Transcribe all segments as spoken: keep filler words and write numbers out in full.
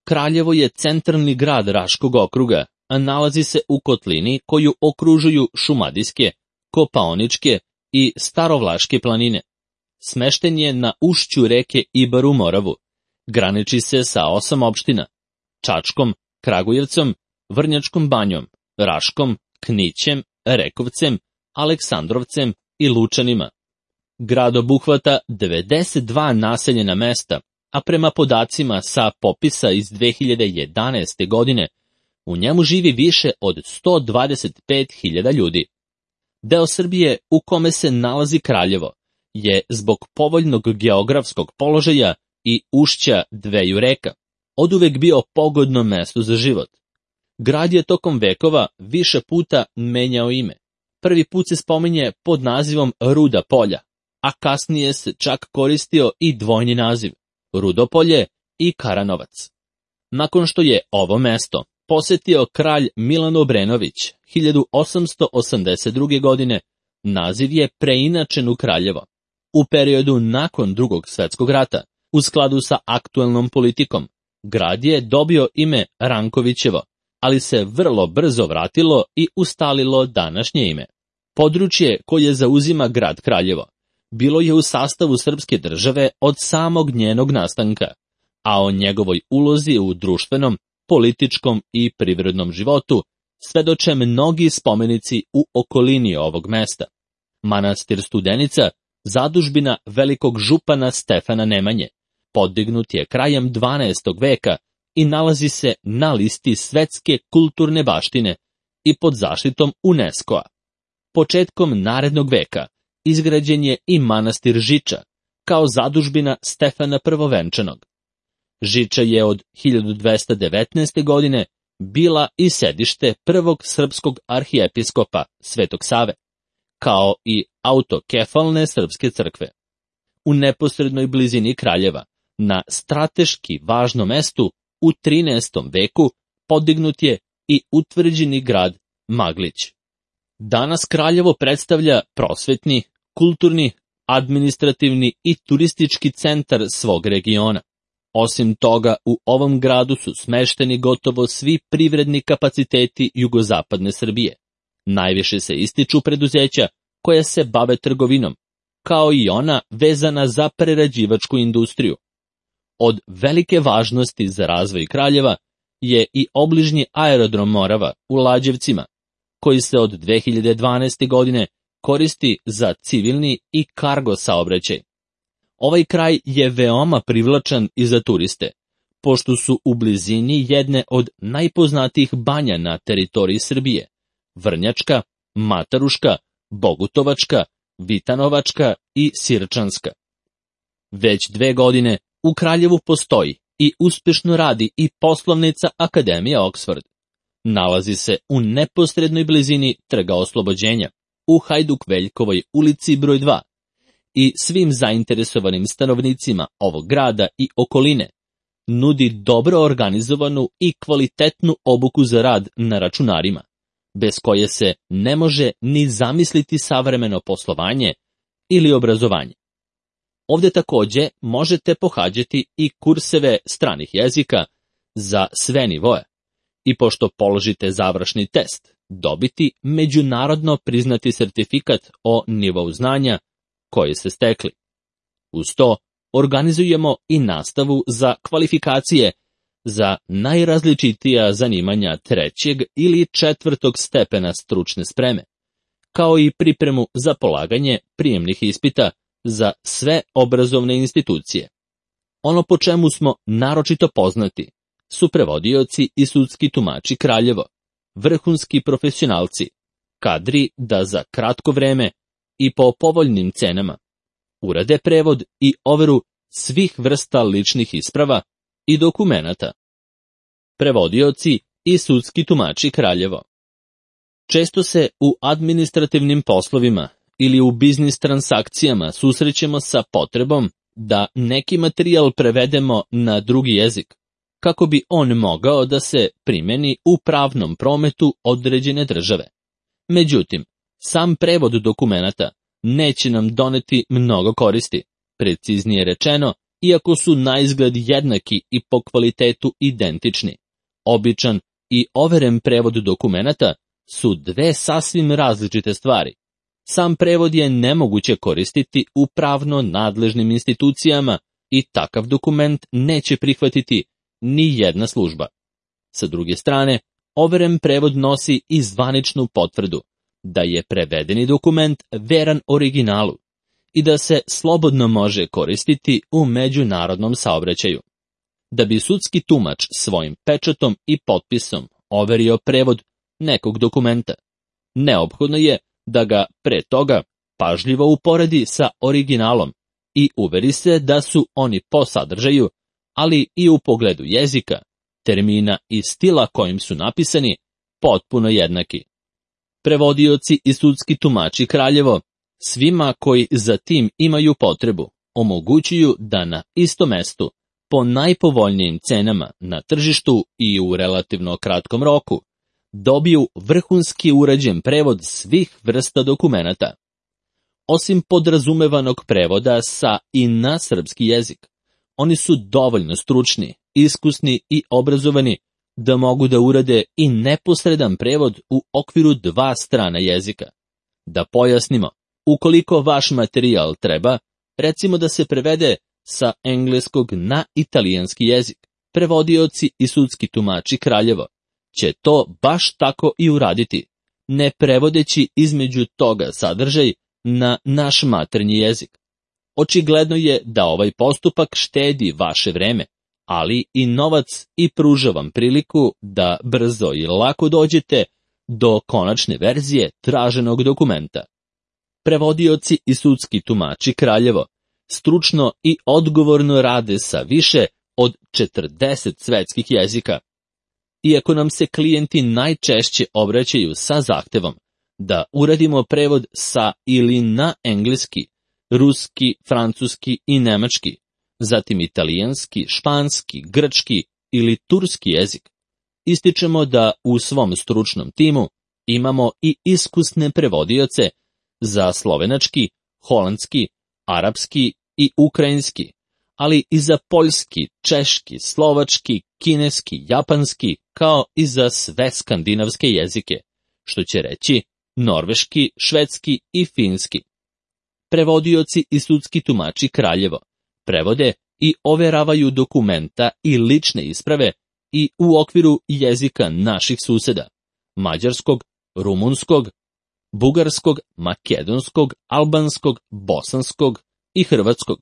Kraljevo je centralni grad Raškog okruga, a nalazi se u kotlini koju okružuju Šumadijske, Kopaoničke i Starovlaške planine. Smešten je na ušću reke Ibar u Moravu. Graniči se sa osam opština: Čačkom, Kragujevcom, Vrnjačkom Banjom, Raškom, Knićem, Rekovcem, Aleksandrovcem i Lučanima. Grad obuhvata devedeset dva naseljena mesta, a prema podacima sa popisa iz dve hiljade jedanaeste. godine, u njemu živi više od sto dvadeset pet hiljada ljudi. Deo Srbije u kome se nalazi Kraljevo je zbog povoljnog geografskog položaja i ušća dveju reka oduvek bio pogodno mesto za život. Grad je tokom vekova više puta menjao ime. Prvi put se spominje pod nazivom Ruda Polja, a kasnije se čak koristio i dvojni naziv Rudopolje i Karanovac. Nakon što je ovo mesto posetio kralj Milan Obrenović hiljadu osamsto osamdeset druge. godine, naziv je preinačen u Kraljevo. U periodu nakon Drugog svjetskog rata, u skladu sa aktuelnom politikom, grad je dobio ime Rankovićevo, ali se vrlo brzo vratilo i ustalilo današnje ime. Područje koje zauzima grad Kraljevo bilo je u sastavu srpske države od samog njenog nastanka, a o njegovoj ulozi u društvenom, političkom i privrednom životu svedoče mnogi spomenici u okolini ovog mesta. Manastir Studenica, zadužbina velikog župana Stefana Nemanje, podignut je krajem dvanaestog. veka i nalazi se na listi svetske kulturne baštine i pod zaštitom UNESCO-a. Početkom narednog veka izgrađen je i manastir Žiča, kao zadužbina Stefana Prvovenčanog. Žiča je od hiljadu dvesta devetnaeste. godine bila i sedište prvog srpskog arhijepiskopa Svetog Save, kao i autokefalne srpske crkve. U neposrednoj blizini Kraljeva, na strateški važnom mestu, u trinaestom. veku podignut je i utvrđeni grad Maglić. Danas Kraljevo predstavlja prosvetni, kulturni, administrativni i turistički centar svog regiona. Osim toga, u ovom gradu su smešteni gotovo svi privredni kapaciteti jugozapadne Srbije. Najviše se ističu preduzeća koja se bave trgovinom, kao i ona vezana za prerađivačku industriju. Od velike važnosti za razvoj Kraljeva je i obližnji aerodrom Morava u Lađevcima, koji se od dve hiljade dvanaeste. godine koristi za civilni i kargo saobraćaj. Ovaj kraj je veoma privlačan i za turiste, pošto su u blizini jedne od najpoznatijih banja na teritoriji Srbije: Vrnjačka, Mataruška, Bogutovačka, Vitanovačka i Sirčanska. Već dve godine u Kraljevu postoji i uspešno radi i poslovnica Akademija Oxford. Nalazi se u neposrednoj blizini Trga Oslobođenja, u Hajduk-Veljkovoj ulici broj dva, i svim zainteresovanim stanovnicima ovog grada i okoline nudi dobro organizovanu i kvalitetnu obuku za rad na računarima, bez koje se ne može ni zamisliti savremeno poslovanje ili obrazovanje. Ovdje takođe možete pohađati i kurseve stranih jezika za sve nivoe i pošto položite završni test, dobiti međunarodno priznati sertifikat o nivou znanja koje ste stekli. Uz to organizujemo i nastavu za kvalifikacije za najrazličitija zanimanja trećeg ili četvrtog stepena stručne spreme, kao i pripremu za polaganje prijemnih ispita za sve obrazovne institucije. Ono po čemu smo naročito poznati su prevodioci i sudski tumači Kraljevo, vrhunski profesionalci, kadri da za kratko vreme i po povoljnim cenama urade prevod i overu svih vrsta ličnih isprava i dokumenata. Prevodioci i sudski tumači Kraljevo. Često se u administrativnim poslovima ili u biznis transakcijama susrećemo sa potrebom da neki materijal prevedemo na drugi jezik, kako bi on mogao da se primeni u pravnom prometu određene države. Međutim, sam prevod dokumenata neće nam doneti mnogo koristi, preciznije rečeno, iako su naizgled jednaki i po kvalitetu identični. Običan i overen prevod dokumenata su dve sasvim različite stvari. Sam prevod je nemoguće koristiti u pravno nadležnim institucijama i takav dokument neće prihvatiti ni jedna služba. Sa druge strane, overen prevod nosi i zvaničnu potvrdu da je prevedeni dokument veran originalu i da se slobodno može koristiti u međunarodnom saobraćaju. Da bi sudski tumač svojim pečatom i potpisom overio prevod nekog dokumenta, neophodno je da ga pre toga pažljivo uporedi sa originalom i uveri se da su oni po sadržaju, ali i u pogledu jezika, termina i stila kojim su napisani, potpuno jednaki. Prevodioci i sudski tumači Kraljevo svima koji za tim imaju potrebu omogućuju da na istom mestu, po najpovoljnijim cenama na tržištu i u relativno kratkom roku, dobiju vrhunski urađen prevod svih vrsta dokumenata. Osim podrazumevanog prevoda sa i na srpski jezik, oni su dovoljno stručni, iskusni i obrazovani da mogu da urade i neposredan prevod u okviru dva strana jezika. Da pojasnimo, ukoliko vaš materijal treba, recimo da se prevede sa engleskog na italijanski jezik, prevodioci i sudski tumači Kraljevo će to baš tako i uraditi, ne prevodeći između toga sadržaj na naš maternji jezik. Očigledno je da ovaj postupak štedi vaše vreme, ali i novac i pruža vam priliku da brzo i lako dođete do konačne verzije traženog dokumenta. Prevodioci i sudski tumači Kraljevo stručno i odgovorno rade sa više od četrdeset svetskih jezika. Iako nam se klijenti najčešće obraćaju sa zahtevom da uradimo prevod sa ili na engleski, ruski, francuski i nemački, zatim italijanski, španski, grčki ili turski jezik, ističemo da u svom stručnom timu imamo i iskusne prevodioce za slovenački, holandski, arapski i ukrajinski, ali i za poljski, češki, slovački, kineski, japanski, kao i za sve skandinavske jezike, što će reći norveški, švedski i finski. Prevodioci i sudski tumači Kraljevo prevode i overavaju dokumenta i lične isprave i u okviru jezika naših suseda, mađarskog, rumunskog, bugarskog, makedonskog, albanskog, bosanskog i hrvatskog,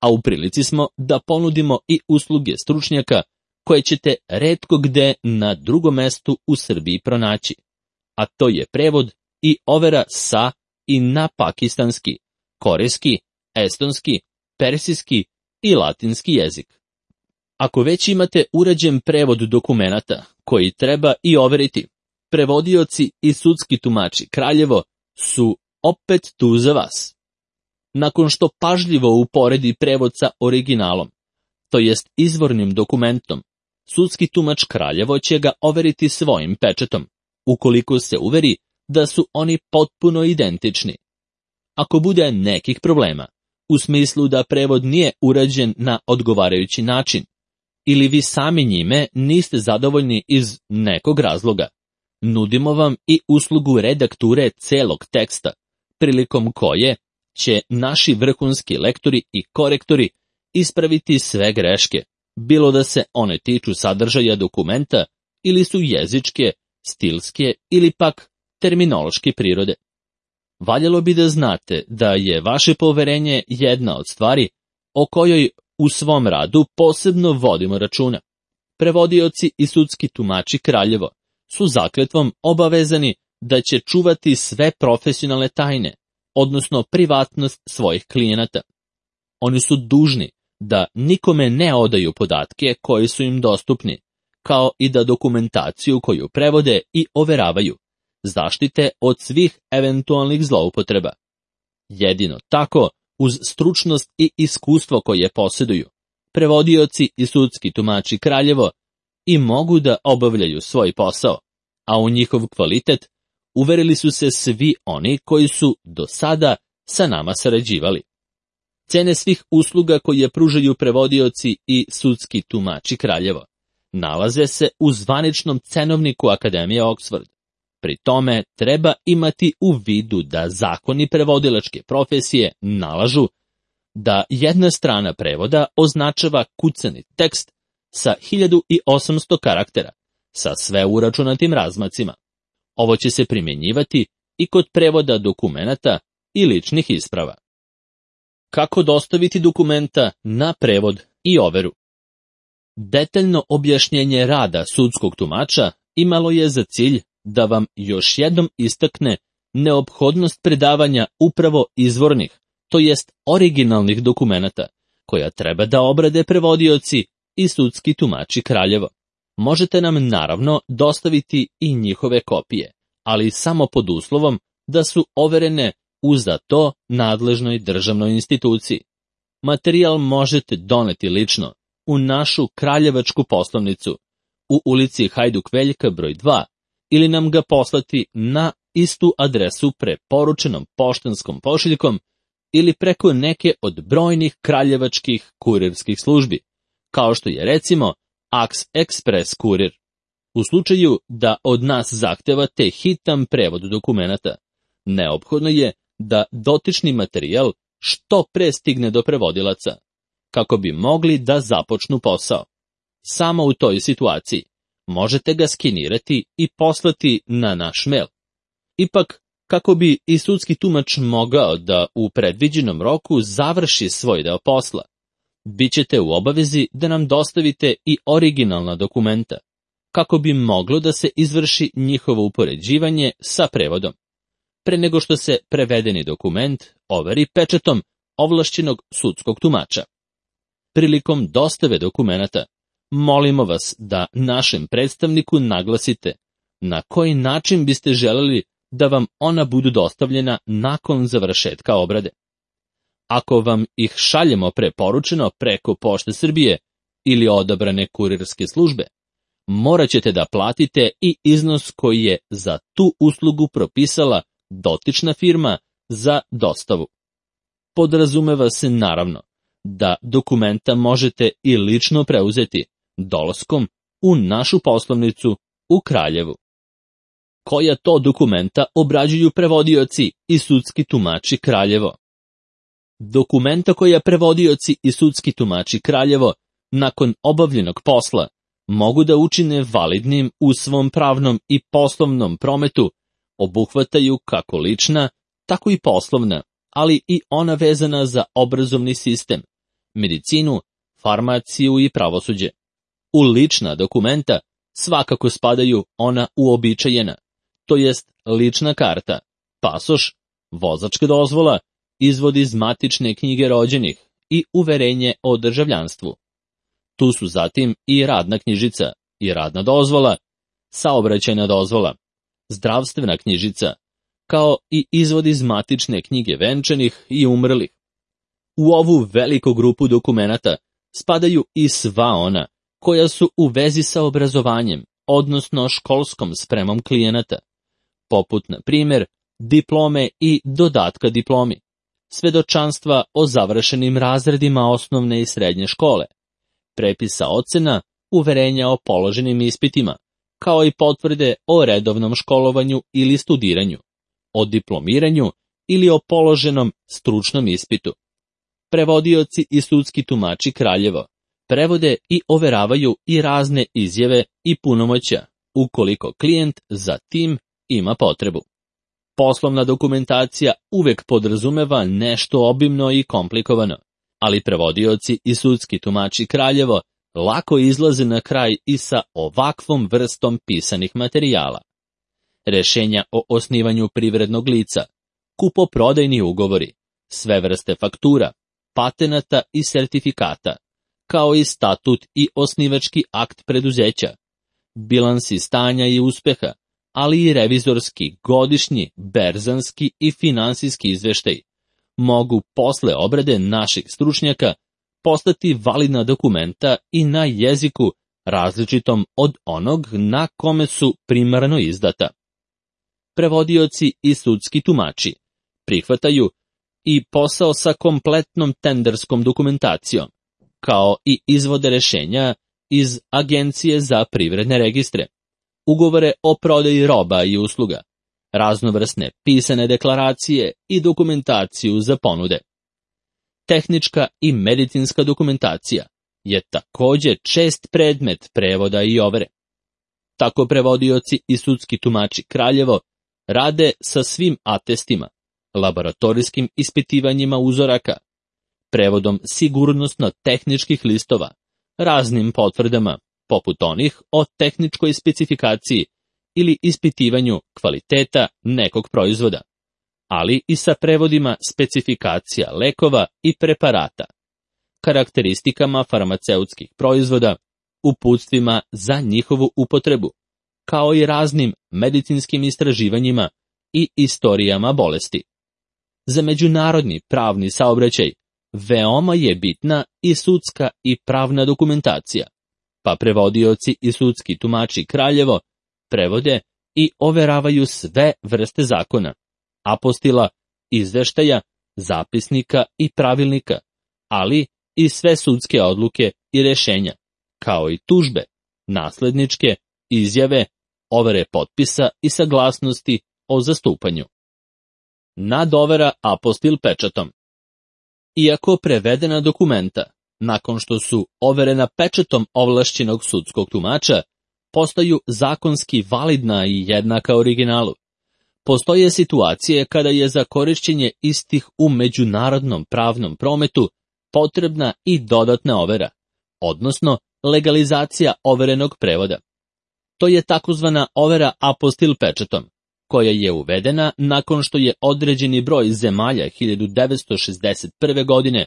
a u prilici smo da ponudimo i usluge stručnjaka koje ćete retko gde na drugom mestu u Srbiji pronaći, a to je prevod i overa sa i na pakistanski, korejski, estonski, persijski i latinski jezik. Ako već imate urađen prevod dokumenata koji treba i overiti, prevodioci i sudski tumači Kraljevo su opet tu za vas. Nakon što pažljivo uporedi prevod sa originalom, to jest izvornim dokumentom, sudski tumač Kraljevo će ga overiti svojim pečatom, ukoliko se uveri da su oni potpuno identični. Ako bude nekih problema, u smislu da prevod nije urađen na odgovarajući način, ili vi sami njime niste zadovoljni iz nekog razloga, nudimo vam i uslugu redakture celog teksta, prilikom koje će naši vrhunski lektori i korektori ispraviti sve greške, bilo da se one tiču sadržaja dokumenta ili su jezičke, stilske ili pak terminološke prirode. Valjalo bi da znate da je vaše poverenje jedna od stvari o kojoj u svom radu posebno vodimo računa. Prevodioci i sudski tumači Kraljevo su zakletvom obavezani da će čuvati sve profesionalne tajne, odnosno privatnost svojih klijenata. Oni su dužni da nikome ne odaju podatke koji su im dostupni, kao i da dokumentaciju koju prevode i overavaju zaštite od svih eventualnih zloupotreba. Jedino tako, uz stručnost i iskustvo koje posjeduju, prevodioci i sudski tumači Kraljevo i mogu da obavljaju svoj posao, a u njihov kvalitet uverili su se svi oni koji su do sada sa nama sarađivali. Cene svih usluga koje pružaju prevodioci i sudski tumači Kraljevo nalaze se u zvaničnom cenovniku Akademije Oxford. Pri tome treba imati u vidu da zakoni prevodilačke profesije nalažu da jedna strana prevoda označava kucani tekst sa hiljadu osamsto karaktera, sa sve uračunatim razmacima. Ovo će se primjenjivati i kod prevoda dokumenata i ličnih isprava. Kako dostaviti dokumenta na prevod i overu? Detaljno objašnjenje rada sudskog tumača imalo je za cilj da vam još jednom istakne neophodnost predavanja upravo izvornih, to jest originalnih dokumenata, koja treba da obrade prevodioci i sudski tumači Kraljevo. Možete nam naravno dostaviti i njihove kopije, ali samo pod uslovom da su overene u za to nadležnoj državnoj instituciji. Materijal možete doneti lično u našu kraljevačku poslovnicu u ulici Hajduk Veljka broj dva ili nam ga poslati na istu adresu preporučenom poštanskom pošiljkom ili preko neke od brojnih kraljevačkih kurirskih službi, kao što je recimo Aks Express kurir. U slučaju da od nas zahtevate hitan prevod dokumenata, neophodno je da dotični materijal što pre stigne do prevodilaca, kako bi mogli da započnu posao. Samo u toj situaciji možete ga skenirati i poslati na naš mail. Ipak, kako bi i sudski tumač mogao da u predviđenom roku završi svoj deo posla, bićete u obavezi da nam dostavite i originalna dokumenta, kako bi moglo da se izvrši njihovo upoređivanje sa prevodom, pre nego što se prevedeni dokument overi pečatom ovlašćenog sudskog tumača. Prilikom dostave dokumenata, molimo vas da našem predstavniku naglasite na koji način biste želeli da vam ona budu dostavljena nakon završetka obrade. Ako vam ih šaljemo preporučeno preko Pošte Srbije ili odabrane kurirske službe, morat ćete da platite i iznos koji je za tu uslugu propisala dotična firma za dostavu. Podrazumeva se naravno da dokumenta možete i lično preuzeti dolaskom u našu poslovnicu u Kraljevu. Koja to dokumenta obrađuju prevodioci i sudski tumači Kraljevo? Dokumenta koja prevodioci i sudski tumači Kraljevo nakon obavljenog posla mogu da učine validnim u svom pravnom i poslovnom prometu obuhvataju kako lična, tako i poslovna, ali i ona vezana za obrazovni sistem, medicinu, farmaciju i pravosuđe. U lična dokumenta svakako spadaju ona uobičajena, to jest lična karta, pasoš, vozačka dozvola, izvod iz matične knjige rođenih i uverenje o državljanstvu. Tu su zatim i radna knjižica i radna dozvola, saobraćajna dozvola, zdravstvena knjižica, kao i izvod iz matične knjige venčanih i umrlih. U ovu veliku grupu dokumenata spadaju i sva ona koja su u vezi sa obrazovanjem, odnosno školskom spremom klijenata, poput, na primjer, diplome i dodatka diplomi, svedočanstva o završenim razredima osnovne i srednje škole, prepisa ocena, uverenja o položenim ispitima, kao i potvrde o redovnom školovanju ili studiranju, o diplomiranju ili o položenom stručnom ispitu. Prevodioci i sudski tumači Kraljevo prevode i overavaju i razne izjave i punomoćja, ukoliko klijent za tim ima potrebu. Poslovna dokumentacija uvek podrazumeva nešto obimno i komplikovano, ali prevodioci i sudski tumači Kraljevo lako izlaze na kraj i sa ovakvom vrstom pisanih materijala. Rešenja o osnivanju privrednog lica, kupoprodajni ugovori, sve vrste faktura, patenata i sertifikata, kao i statut i osnivački akt preduzeća, bilansi stanja i uspeha, ali i revizorski, godišnji, berzanski i finansijski izveštaj, mogu posle obrade naših stručnjaka postati validna dokumenta i na jeziku različitom od onog na kome su primarno izdata. Prevodioci i sudski tumači prihvataju i posao sa kompletnom tenderskom dokumentacijom, kao i izvode rešenja iz Agencije za privredne registre, ugovore o prodaji roba i usluga, raznovrsne pisane deklaracije i dokumentaciju za ponude. Tehnička i medicinska dokumentacija je također čest predmet prevoda i overe. Tako prevodioci i sudski tumači Kraljevo rade sa svim atestima, laboratorijskim ispitivanjima uzoraka, prevodom sigurnosno-tehničkih listova, raznim potvrdama, poput onih o tehničkoj specifikaciji ili ispitivanju kvaliteta nekog proizvoda, ali i sa prevodima specifikacija lekova i preparata, karakteristikama farmaceutskih proizvoda, uputstvima za njihovu upotrebu, kao i raznim medicinskim istraživanjima i istorijama bolesti. Za međunarodni pravni saobraćaj veoma je bitna i sudska i pravna dokumentacija, pa prevodioci i sudski tumači Kraljevo prevode i overavaju sve vrste zakona, apostila, izveštaja, zapisnika i pravilnika, ali i sve sudske odluke i rešenja, kao i tužbe, nasledničke, izjave, overe potpisa i saglasnosti o zastupanju. Nadovera apostil pečatom. Iako prevedena dokumenta, nakon što su overena pečatom ovlašćenog sudskog tumača, postaju zakonski validna i jednaka originalu, postoje situacije kada je za korišćenje istih u međunarodnom pravnom prometu potrebna i dodatna overa, odnosno legalizacija overenog prevoda. To je takozvana overa apostil pečatom, koja je uvedena nakon što je određeni broj zemalja hiljadu devetsto šezdeset prve. godine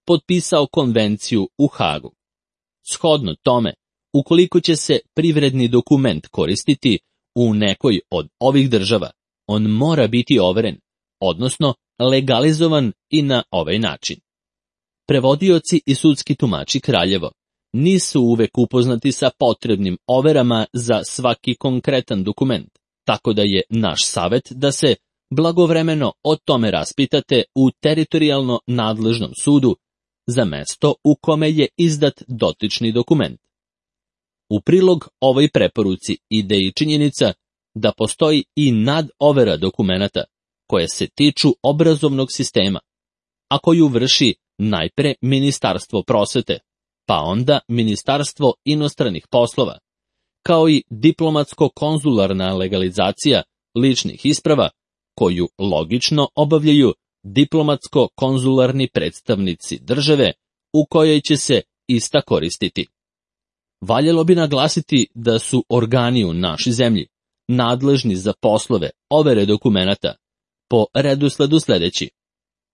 potpisao konvenciju u Hagu. Shodno tome, ukoliko će se privredni dokument koristiti u nekoj od ovih država, on mora biti overen, odnosno legalizovan i na ovaj način. Prevodioci i sudski tumači Kraljevo nisu uvek upoznati sa potrebnim overama za svaki konkretan dokument, tako da je naš savet da se blagovremeno o tome raspitate u teritorijalno nadležnom sudu za mesto u kome je izdat dotični dokument. U prilog ovoj preporuci ide i činjenica da postoji i nadovera dokumenata koje se tiču obrazovnog sistema, a koju vrši najpre Ministarstvo prosvete, pa onda Ministarstvo inostranih poslova, kao i diplomatsko-konzularna legalizacija ličnih isprava, koju logično obavljaju diplomatsko-konzularni predstavnici države u kojoj će se ista koristiti. Valjalo bi naglasiti da su organi u našoj zemlji nadležni za poslove overe dokumenata po redosledu sledeći: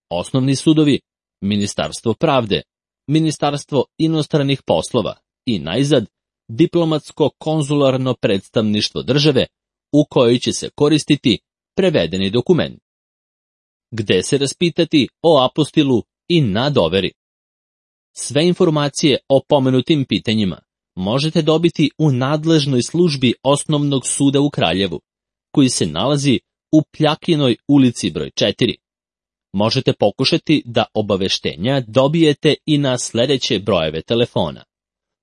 osnovni sudovi, Ministarstvo pravde, Ministarstvo inostranih poslova i najzad diplomatsko-konzularno predstavništvo države u kojoj će se koristiti prevedeni dokument. Gde se raspitati o apostilu i nadoveri? Sve informacije o pomenutim pitanjima možete dobiti u nadležnoj službi Osnovnog suda u Kraljevu, koji se nalazi u Pljakinoj ulici broj četiri. Možete pokušati da obaveštenja dobijete i na sledeće brojeve telefona: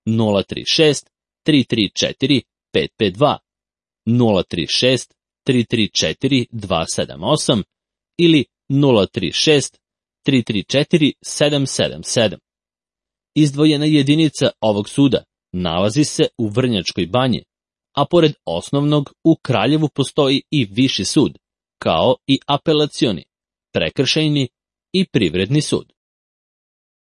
nula tri šest tri tri četiri pet pet dva, nula tri šest tri tri četiri dva sedam osam ili nula tri šest tri tri četiri sedam sedam sedam. Izdvojena jedinica ovog suda nalazi se u Vrnjačkoj Banji, a pored osnovnog u Kraljevu postoji i viši sud, kao i apelacioni, prekršajni i privredni sud.